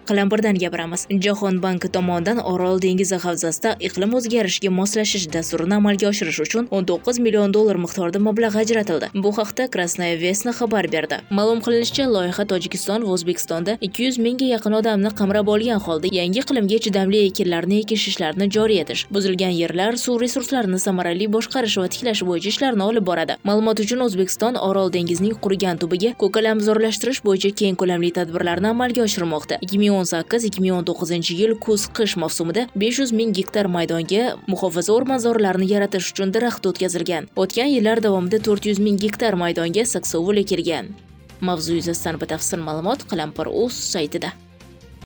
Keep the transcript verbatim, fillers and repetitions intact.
Qalampirdan gapiramiz. Jahon banki tomonidan Orol dengizi havzasida iqlim o'zgarishiga moslashish dasturini amalga oshirish uchun o'n to'qqiz million dollar miqdorida mablag' ajratildi. Bu haqda Krasnaya Vesna xabar berdi. Ma'lum qilinishicha, loyiha Tojikiston va O'zbekistonda ikki yuz mingga yaqin odamni qamrab olgan holda yangi iqlimga chidamli ekinlarni ekish ishlarini joriy etish, buzilgan yerlar, suv resurslarini samarali boshqarish va tiklash bo'yicha ishlarni olib boradi. Ma'lumot uchun, O'zbekiston Orol dengizining qurigan tubiga ko'kalamzorlashtirish bo'yicha keng ko'lamli tadbirlarni amalga oshirmoqda. ikki ming o'n sakkiz ikki ming o'n to'qqizinchi yil kuz-qish mavsumida besh yuz ming gektar maydonga muhofaza o'rmonzorlarini yaratish uchun daraxt o'tkazilgan. O'tgan yillar davomida to'rt yuz ming gektar maydonga saksovul ekilgan. Mavzu yuzasidan batafsil ma'lumot Qalampir uz saytida.